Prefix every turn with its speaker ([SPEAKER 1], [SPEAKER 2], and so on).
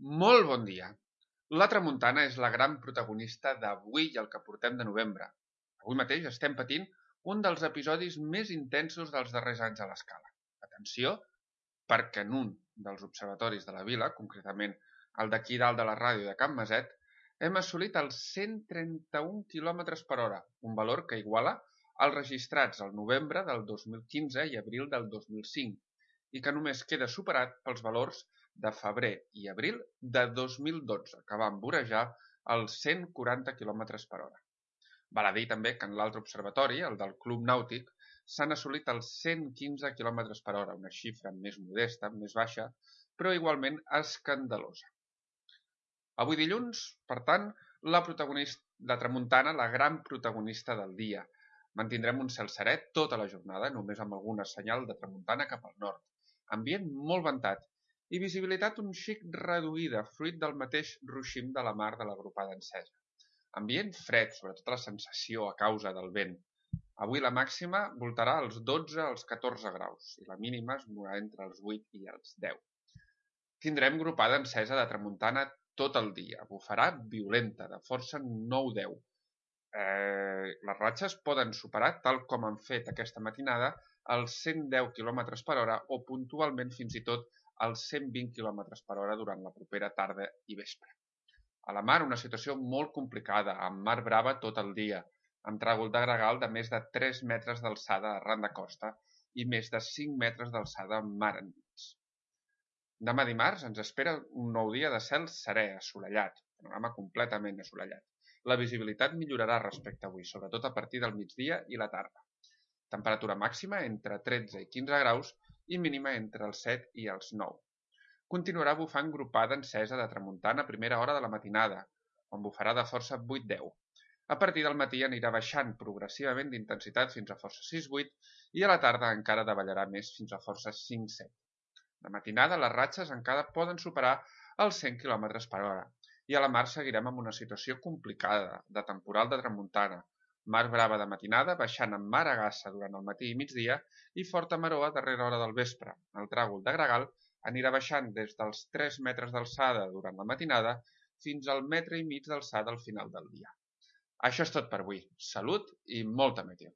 [SPEAKER 1] Molt bon dia. La tramuntana és la gran protagonista d'avui i el que portem de novembre. Avui mateix estem patint un dels episodis més intensos dels darrers anys a l'escala. Atenció, perquè en un dels observatoris de la vila, concretament el d'aquí dalt de la ràdio de Can Maset, hem assolit els 131 km per hora, un valor que iguala els registrats al novembre del 2015 i abril del 2005, i que només queda superat pels valors de febrer i abril de 2012, que van vorejar els 140 km per hora. Val a dir també que en l'altre observatori, el del Club Nàutic, s'han assolit els 115 km per hora, una xifra més modesta, més baixa, però igualment escandalosa. Avui dilluns, per tant, la tramuntana, la gran protagonista del dia. Mantindrem un cel serè tota la jornada, només amb alguna senyal de tramuntana cap al nord. Ambient molt ventat i visibilitat un xic reduïda, fruit del mateix ruixim de la mar de l'agrupada encesa. Ambient fred, sobretot la sensació a causa del vent. Avui la màxima voltarà als 12 als 14 graus i la mínima es mourà entre els 8 i els 10. Tindrem grupada encesa de tramuntana tot el dia. Bufarà violenta, de força 9-10. Les ratxes poden superar, tal com han fet aquesta matinada, els 110 km per hora o puntualment fins i tot els 120 km per hora durant la propera tarda i vespre. A la mar una situació molt complicada, amb mar brava tot el dia, amb tràgol de gregal de més de 3 metres d'alçada arran de costa i més de 5 metres d'alçada mar endins. Demà dimarts ens espera un nou dia de cel serè, assolellat, panorama completament assolellat. La visibilitat millorarà respecte a avui, sobretot a partir del migdia i la tarda. Temperatura màxima entre 13 i 15 graus i mínima entre els 7 i els 9. Continuarà bufant grupada encesa de tramuntana a primera hora de la matinada, on bufarà de força 8-10. A partir del matí anirà baixant progressivament d'intensitat fins a força 6-8 i a la tarda encara davallarà més fins a força 5-7. De matinada les ratxes encara poden superar els 100 km per hora i a la mar seguirem amb una situació complicada de temporal de tramuntana, mar brava de matinada baixant amb mar a gassa durant el matí i migdia i forta maror a darrera hora del vespre. El tràgol de gregal anirà baixant des dels 3 metres d'alçada durant la matinada fins al metre i mig d'alçada al final del dia. Això és tot per avui. Salut i molta meteo.